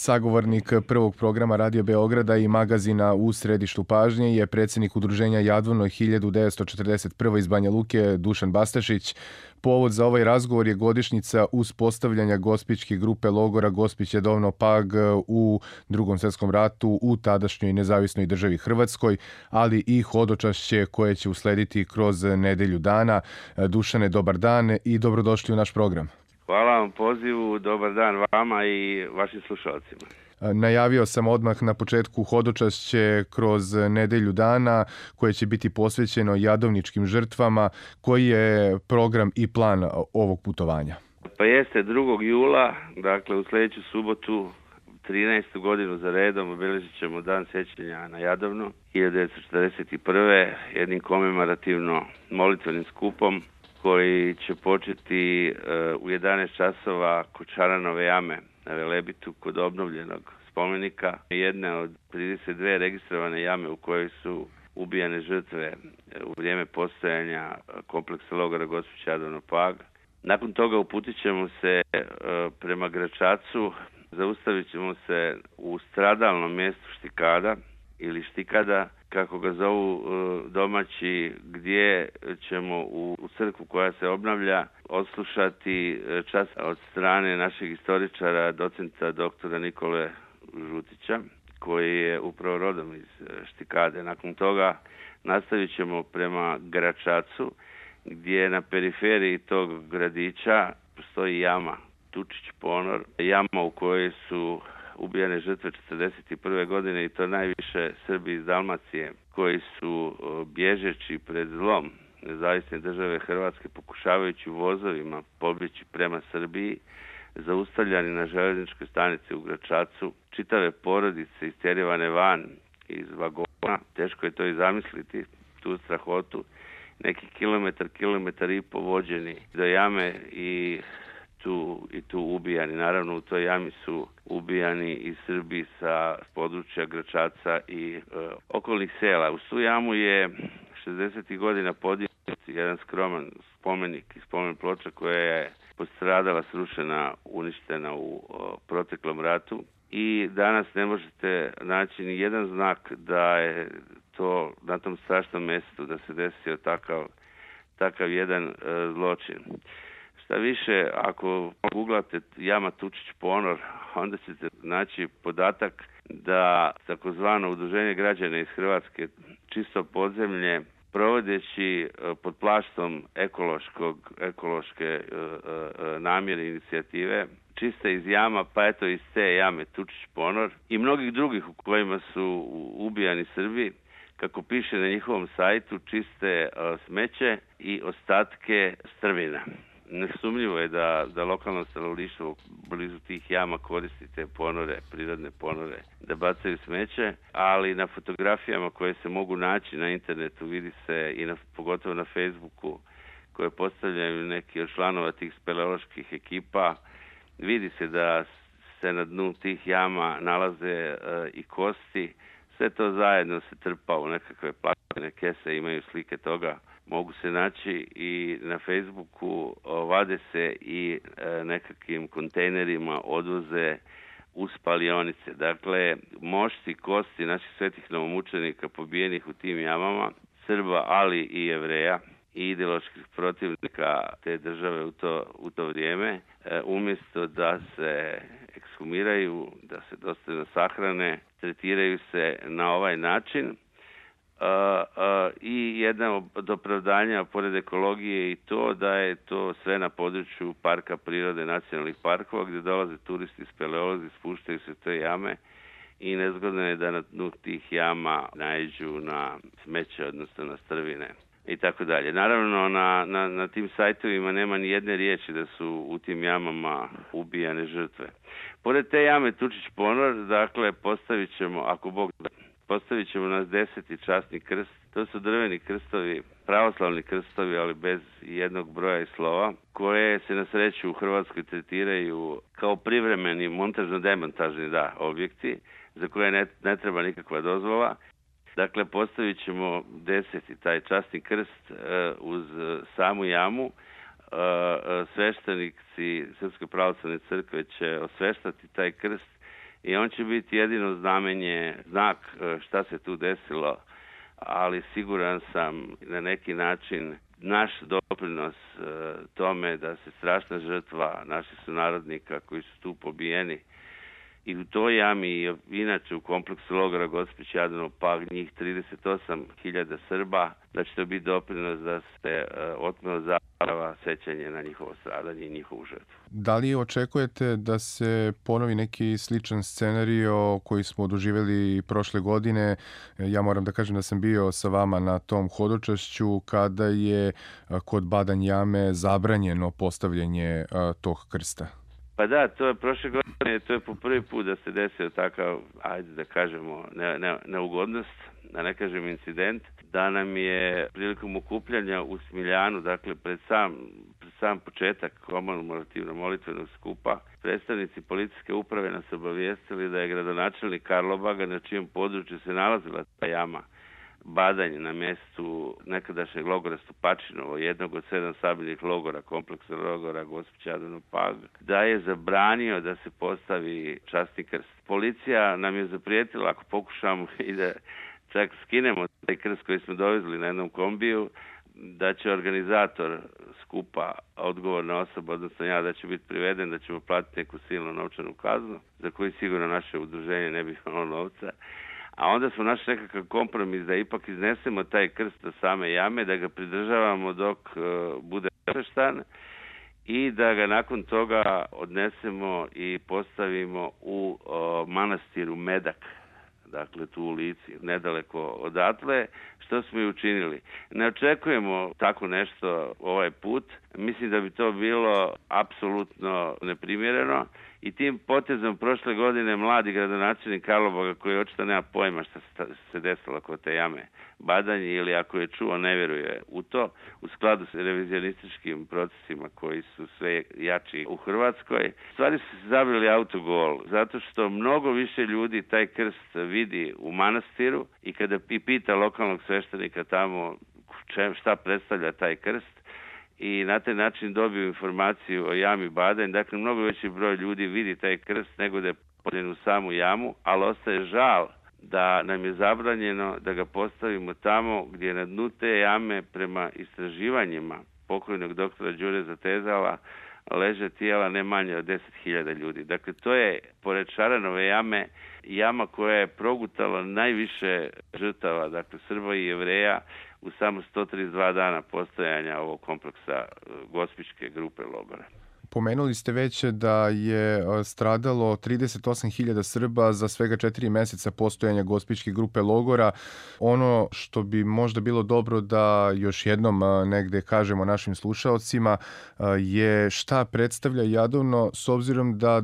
Sagovornik prvog programa Radio Beograda i magazina U središtu pažnje je predsjednik udruženja Jadovno 1941. iz Banja Luke Dušan Bastašić. Povod za ovaj razgovor je godišnjica uspostavljanja gospićke grupe logora Gospić Jadovno Pag u Drugom svjetskom ratu u tadašnjoj nezavisnoj državi Hrvatskoj, ali i hodočašće koje će uslediti kroz nedelju dana. Dušane, dobar dan i dobrodošli u naš program. Hvala vam pozivu, dobar dan vama i vašim slušalcima. Najavio sam odmah na početku hodočašće kroz nedelju dana koje će biti posvećeno jadovničkim žrtvama. Koji je program i plan ovog putovanja? Pa jeste 2. jula, dakle u sljedeću subotu, 13. godinu za redom, obilježit ćemo dan sjećanja na Jadovno 1941. jednim komemorativno molitvenim skupom koji će početi u 11 časova kod Šaranove jame na Velebitu kod obnovljenog spomenika. Jedne od 32 registrovane jame u kojoj su ubijane žrtve u vrijeme postojanja kompleksa logora Gospić Jadovno Pag. Nakon toga uputit ćemo se prema Gračacu, zaustavit ćemo se u stradalnom mjestu Štikada ili Štikada, kako ga zovu domaći, gdje ćemo u crkvu koja se obnavlja odslušati čas od strane našeg istoričara, docenta doktora Nikole Žutića, koji je upravo rodom iz Štikade. Nakon toga nastavit ćemo prema Gračacu, gdje na periferiji tog gradića postoji jama Tučić Ponor, jama u kojoj su ubijane žrtve 1941. godine i to najviše Srbi iz Dalmacije koji su bježeći pred zlom nezavisne države Hrvatske, pokušavajući vozovima pobjeći prema Srbiji, zaustavljani na željezničkoj stanici u Gračacu, čitave porodice istjerivane van iz vagona. Teško je to i zamisliti, tu strahotu. Neki kilometar i po vođeni do jame i tu ubijani. Naravno, u toj jami su ubijani i Srbi sa područja Gračaca i okolnih sela. U tu jamu je 60. godina podignut jedan skroman spomenik i spomen ploča koja je postradala, srušena, uništena u proteklom ratu. I danas ne možete naći ni jedan znak da je to na tom strašnom mjestu da se desio takav jedan zločin. Šta više, ako googlate jama Tučić Ponor, onda ćete naći podatak da takozvano udruženje građana iz Hrvatske Čisto podzemlje, provodeći pod plaštom ekološke namjere inicijative, čiste iz jama, pa eto iz te jame Tučić Ponor i mnogih drugih u kojima su ubijani Srbi, kako piše na njihovom sajtu, čiste smeće i ostatke strvina. Nesumnjivo je da lokalno stanovništvo blizu tih jama koristi te ponore, prirodne ponore, da bacaju smeće, ali na fotografijama koje se mogu naći na internetu vidi se i pogotovo na Facebooku koje postavljaju neki od članova tih speleoloških ekipa, vidi se da se na dnu tih jama nalaze i kosti. Sve to zajedno se trpa u nekakve plastične kese, imaju slike toga. Mogu se naći i na Facebooku, vade se i nekakvim kontejnerima odvoze u spalionice. Dakle, mošti, kosti naših svetih novomučenika pobijenih u tim jamama, Srba, ali i Jevreja i ideoloških protivnika te države u to vrijeme, umjesto da se ekshumiraju, da se dostojno sahrane, tretiraju se na ovaj način. I jedna od opravdanja pored ekologije i to da je to sve na području parka prirode, nacionalnih parkova, gdje dolaze turisti, speleolozi, spuštaju se te jame i nezgodno je da na dnu tih jama naiđu na smeće, odnosno na strvine i tako dalje. Naravno, na tim sajtovima nema ni jedne riječi da su u tim jamama ubijane žrtve. Pored te jame Tučić Ponor, dakle, postavit ćemo nas 10. časni krst. To su drveni krstovi, pravoslavni krstovi, ali bez jednog broja i slova, koje se na sreću u Hrvatskoj tretiraju kao privremeni montažno-demontažni objekti, za koje ne treba nikakva dozvola. Dakle, postavit ćemo 10. taj časni krst uz samu jamu. Sveštenici Srpske pravoslavne crkve će osveštati taj krst i on će biti jedino znamenje, znak šta se tu desilo, ali siguran sam na neki način naš doprinos tome da se strašna žrtva naših sunarodnika koji su tu pobijeni i u toj jami i inače u kompleksu logora Gospić, Jadranov, Pag, njih 38.000 Srba, da će to biti doprinos da se otme od zaborava sećanje na njihovo stradanje i njihovu žrtvu. Da li očekujete da se ponovi neki sličan scenario koji smo doživjeli prošle godine? Ja moram da kažem da sam bio sa vama na tom hodočašću kada je kod Badanj jame zabranjeno postavljanje tog krsta. Pa da, to je prošle godine, to je po prvi put da se desio takav, ajde da kažemo, neugodnost, da ne kažem incident, da nam je prilikom okupljanja u Smiljanu, dakle pred sam početak komemorativno molitvenog skupa, predstavnici policijske uprave nas obavijestili da je gradonačelnik Karlobaga, na čijem području se nalazila ta jama, Badanj, na mjestu nekadašnjeg logora Stupačinovo, jednog od 7 sabljenih logora, kompleksa logora Gospić, Jadranov, Pag, da je zabranio da se postavi časni krst. Policija nam je zaprijetila, ako pokušamo i da čak skinemo taj krst koji smo dovezli na jednom kombiju, da će organizator skupa, odgovorna osoba, odnosno ja, da će biti priveden, da ćemo platiti neku silnu novčanu kaznu, za koju sigurno naše udruženje ne bi imalo novca. A onda smo našli nekakav kompromis da ipak iznesemo taj krst do same jame, da ga pridržavamo dok bude osveštan i da ga nakon toga odnesemo i postavimo u manastiru Medak, dakle tu u Lici, nedaleko odatle, što smo i učinili. Ne očekujemo tako nešto ovaj put. Mislim da bi to bilo apsolutno neprimjereno i tim potezom prošle godine mladi gradonačelnik Karlobaga, koji očito nema pojma što se desilo kod te jame Badanj, ili ako je čuo ne vjeruje u to, u skladu s revizionističkim procesima koji su sve jači u Hrvatskoj. Stvari su se zabili autogol, zato što mnogo više ljudi taj krst vidi u manastiru i kada pita lokalnog sveštenika tamo šta predstavlja taj krst, i na taj način dobiju informaciju o jami Badanj. Dakle, mnogo veći broj ljudi vidi taj krst nego da je postavljen u samu jamu, ali ostaje žal da nam je zabranjeno da ga postavimo tamo gdje na dnu te jame, prema istraživanjima pokojnog doktora Đure Zatezala, leže tijela ne manje od 10.000 ljudi. Dakle, to je, pored Šaranove jame, jama koja je progutala najviše žrtava, dakle Srba i Jevreja, u samo 132 dana postojanja ovog kompleksa Gospićke grupe logora. Pomenuli ste već da je stradalo 38.000 Srba za svega 4 mjeseca postojanja Gospićke grupe logora. Ono što bi možda bilo dobro da još jednom negde kažemo našim slušaocima je šta predstavlja Jadovno, s obzirom da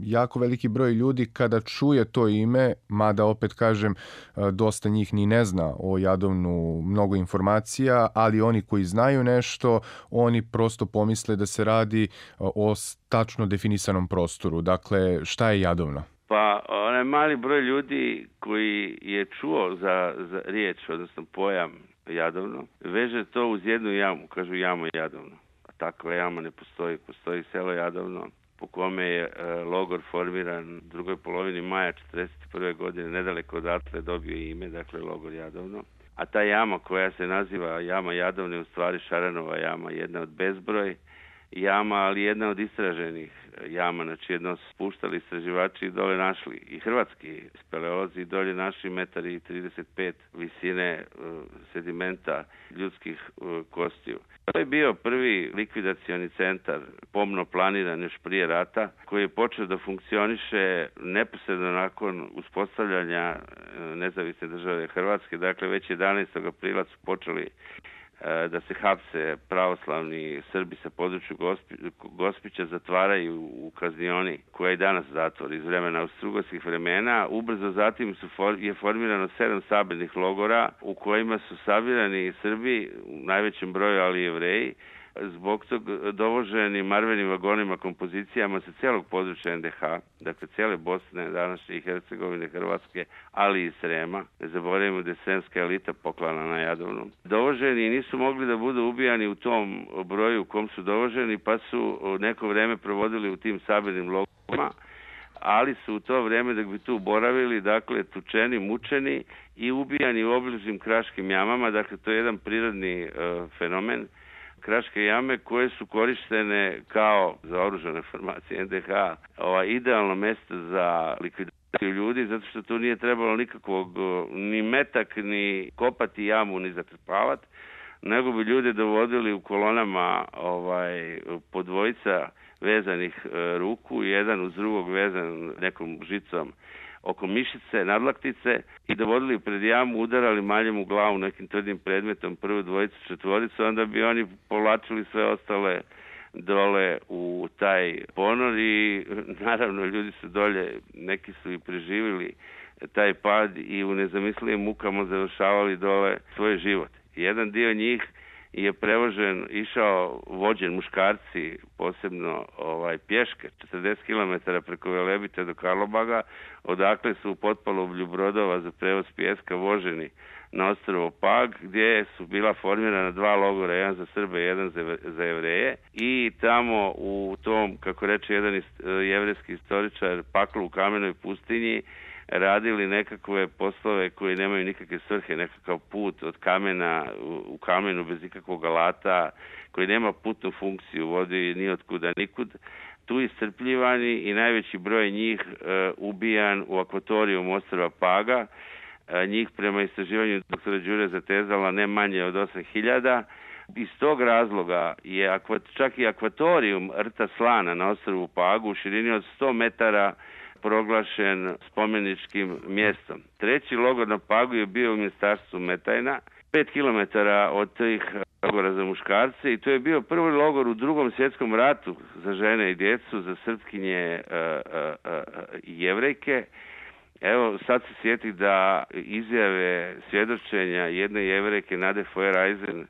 jako veliki broj ljudi kada čuje to ime, mada opet kažem dosta njih ni ne zna o Jadovnu mnogo informacija, ali oni koji znaju nešto, oni prosto pomisle da se radi o tačno definisanom prostoru. Dakle, šta je Jadovno? Pa, onaj mali broj ljudi koji je čuo za riječ, odnosno pojam Jadovno, veže to uz jednu jamu, kažu jama Jadovno. A takva jama ne postoji. Postoji selo Jadovno, po kome je logor formiran u drugoj polovini maja 1941. godine, nedaleko odatle dobio ime, dakle logor Jadovno. A ta jama koja se naziva jama Jadovno je u stvari Šaranova jama, jedna od bezbroj jama, ali jedna od istraženih jama, znači jedno su spuštali istraživači i dole našli i hrvatski speleolozi i dolje našli 1,35 visine sedimenta ljudskih kostiju. To je bio prvi likvidacioni centar, pomno planiran još prije rata, koji je počeo da funkcioniše neposredno nakon uspostavljanja nezavisne države Hrvatske. Dakle, već 11. aprila su počeli da se hapse pravoslavni Srbi sa području Gospića, zatvaraju u kaznioni koja je danas zatvor iz vremena austrougarskih vremena. Ubrzo zatim je formirano 7 sabirnih logora u kojima su sabirani Srbi u najvećem broju, ali i Jevreji, zbog tog dovoženi marvenim vagonima, kompozicijama sa cijelog područja NDH, dakle cijele Bosne, današnje i Hercegovine, Hrvatske, ali i Srema. Ne zaboravimo da je sremska elita poklana na Jadovnu. Dovoženi nisu mogli da budu ubijani u tom broju u kom su dovoženi, pa su neko vreme provodili u tim sabirnim logorima, ali su u to vrijeme dok bi tu boravili, dakle, tučeni, mučeni i ubijani u obližnjim kraškim jamama. Dakle, to je jedan prirodni fenomen. Kraške jame koje su korištene kao za oružane formacije NDH, idealno mjesto za likvidaciju ljudi, zato što tu nije trebalo nikakvog ni metak, ni kopati jamu, ni zatrpavati, nego bi ljude dovodili u kolonama po dvojica vezanih ruku, jedan uz drugog vezan nekom žicom oko mišice, nadlaktice i dovodili pred jamu, udarali maljem u glavu nekim tvrdim predmetom, prvu dvojicu, četvoricu, onda bi oni povlačili sve ostale dole u taj ponor i naravno ljudi su dolje, neki su i preživjeli taj pad i u nezamislivim mukama završavali dole svoj život. Jedan dio njih je prevožen, išao vođen muškarci, posebno pješke, 40 km preko Velebita do Karlobaga, odakle su u potpalovlju brodova za prevoz pijeska voženi na ostrvo Pag, gdje su bila formirana dva logora, jedan za Srbe i jedan za Jevreje. I tamo u tom, kako reče jedan jevrejski istoričar, paklu u kamenoj pustinji, radili nekakve poslove koji nemaju nikakve svrhe, nekakav put od kamena u kamenu bez ikakvog alata, koji nema putnu funkciju, vodi ni otkuda nikud. Tu iscrpljivani i najveći broj njih ubijan u akvatoriju ostrva Paga. Njih prema istraživanju doktora Đure zatezala ne manje od 8.000. Iz tog razloga je čak i akvatorijum rta Slana na ostrvu Pagu u širini od 100 metara proglašen spomeničkim mjestom. Treći logor na Pagu je bio u mjestarstvu Metajna, 5 km od tih logora za muškarce, i to je bio prvi logor u Drugom svjetskom ratu za žene i djecu, za srpkinje i jevrejke. Evo, sad se sjeti da izjave svjedočenja jedne jevrejke, Nade Foer-Eisen,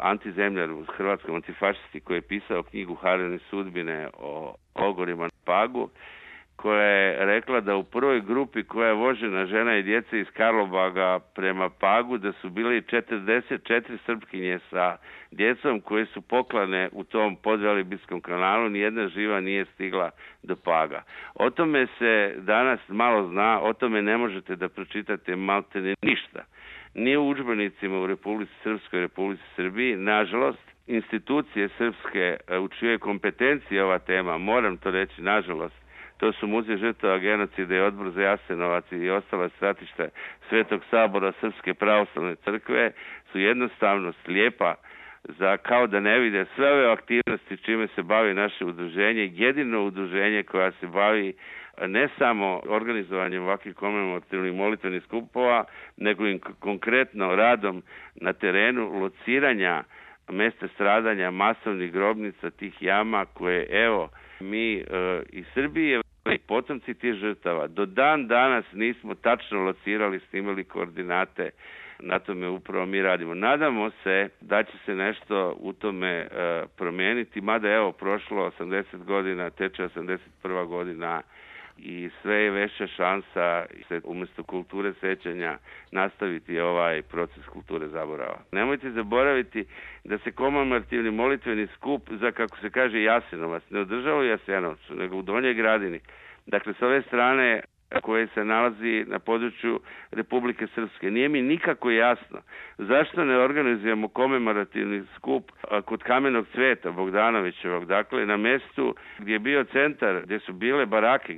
antizemljar u hrvatskom antifašisti, koji je pisao knjigu Harene sudbine o logorima na Pagu, koja je rekla da u prvoj grupi koja je vožena žena i djeca iz Karlobaga prema Pagu, da su bili 44 srpkinje sa djecom koje su poklane u tom podvelibijskom kanalu, nijedna živa nije stigla do Paga. O tome se danas malo zna, o tome ne možete da pročitate maltene ništa. Ni u udžbenicima u Republici Srpskoj, Republici Srbiji, nažalost, institucije srpske u čijoj kompetenciji ova tema, moram to reći, nažalost, to su Muzej žrtava genocida i Odbor za Jasenovac i ostala stratišta Svetog sabora Srpske pravoslavne crkve, su jednostavno slijepa za kao da ne vide sve ove aktivnosti čime se bavi naše udruženje, jedino udruženje koja se bavi ne samo organizovanjem ovakvih komemorativnih molitvenih skupova, nego i konkretno radom na terenu lociranja mjesta stradanja, masovnih grobnica, tih jama koje, evo, mi iz Srbije i potomci tih žrtava do dan danas nismo tačno locirali, snimali koordinate. Na tome upravo mi radimo. Nadamo se da će se nešto u tome promijeniti, mada evo prošlo 80 godina, teče 81. godina i sve je veća šansa se umjesto kulture sećanja nastaviti ovaj proces kulture zaborava. Nemojte zaboraviti da se komemorativni molitveni skup za, kako se kaže, Jasenovac ne održava u Jasenovcu, nego u Donjoj Gradini. Dakle, s ove strane koje se nalazi na području Republike Srpske. Nije mi nikako jasno zašto ne organizujemo komemorativni skup kod Kamenog cveta Bogdanovićevog, dakle na mjestu gdje je bio centar, gdje su bile barake,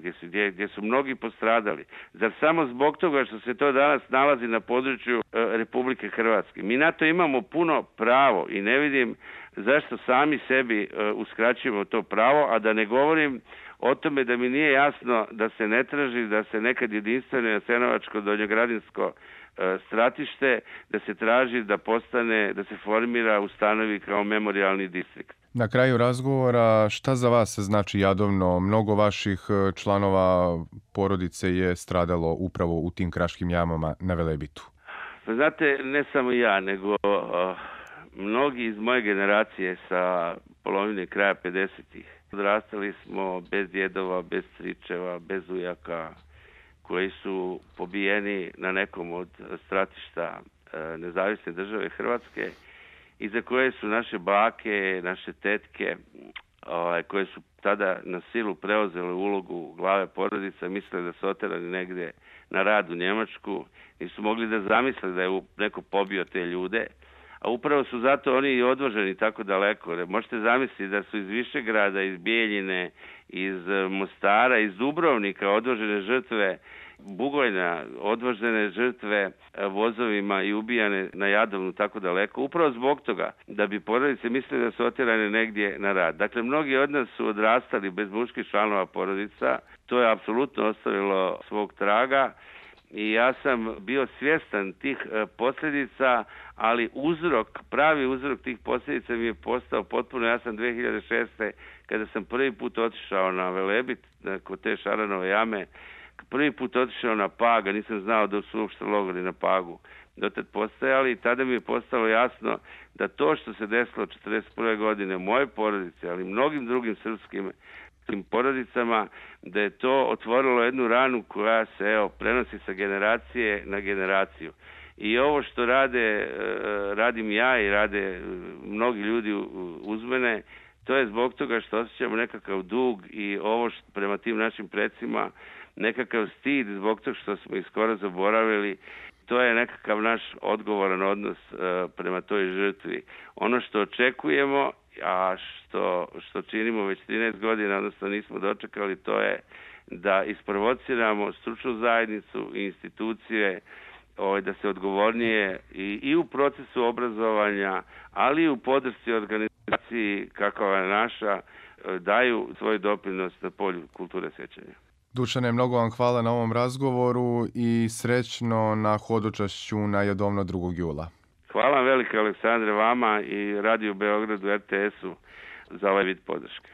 gdje su mnogi postradali. Zar samo zbog toga što se to danas nalazi na području Republike Hrvatske? Mi na to imamo puno pravo i ne vidim zašto sami sebi uskraćujemo to pravo, a da ne govorim o tome da mi nije jasno da se ne traži da se nekad jedinstveno jasenovačko donjogradinsko stratište, da se traži da postane, da se formira, ustanovi kao memorijalni distrikt. Na kraju razgovora, šta za vas znači Jadovno? Mnogo vaših članova porodice je stradalo upravo u tim kraškim jamama na Velebitu. Znate, ne samo ja, nego mnogi iz moje generacije sa polovine kraja 50-ih. Odrastali smo bez djedova, bez stričeva, bez ujaka, koji su pobijeni na nekom od stratišta nezavisne države Hrvatske i za koje su naše bake, naše tetke koje su tada na silu preuzele ulogu glave porodica, misle da su oterani negdje na rad u Njemačku, nisu mogli da zamisle da je neko pobio te ljude, a upravo su zato oni i odvoženi tako daleko. Možete zamisliti da su iz Višegrada, iz Bijeljine, iz Mostara, iz Dubrovnika odvožene žrtve Bugojna, odvožene žrtve vozovima i ubijane na Jadovnu tako daleko, upravo zbog toga da bi porodice mislili da su otjerane negdje na rad. Dakle, mnogi od nas su odrastali bez muških članova porodica, to je apsolutno ostavilo svog traga i ja sam bio svjestan tih posljedica, ali pravi uzrok tih posljedica mi je postao potpuno jasan 2006. kada sam prvi put otišao na Velebit, kod te Šaranove jame, prvi put otišao na Pag, a nisam znao da su uopšte logori na Pagu dotad postojali, i tada mi je postalo jasno da to što se desilo 1941. godine u mojoj porodici, ali i mnogim drugim srpskim porodicama, da je to otvorilo jednu ranu koja se prenosi sa generacije na generaciju. I ovo što radim ja i rade mnogi ljudi uz mene, to je zbog toga što osjećamo nekakav dug i ovo prema tim našim precima, nekakav stid zbog toga što smo ih skoro zaboravili. To je nekakav naš odgovoran odnos prema toj žrtvi. Ono što očekujemo, a što činimo već 13 godina, odnosno nismo dočekali, to je da isprovociramo stručnu zajednicu i institucije da se odgovornije i u procesu obrazovanja, ali i u podršci organizaciji kakva je naša, daju svoj doprinos na polju kulture sjećanja. Dušane, mnogo vam hvala na ovom razgovoru i srećno na hodočašću na Jadovno 2. jula. Hvala vam velike, Aleksandre, vama i Radio Beogradu, RTS-u za ovaj vid podrške.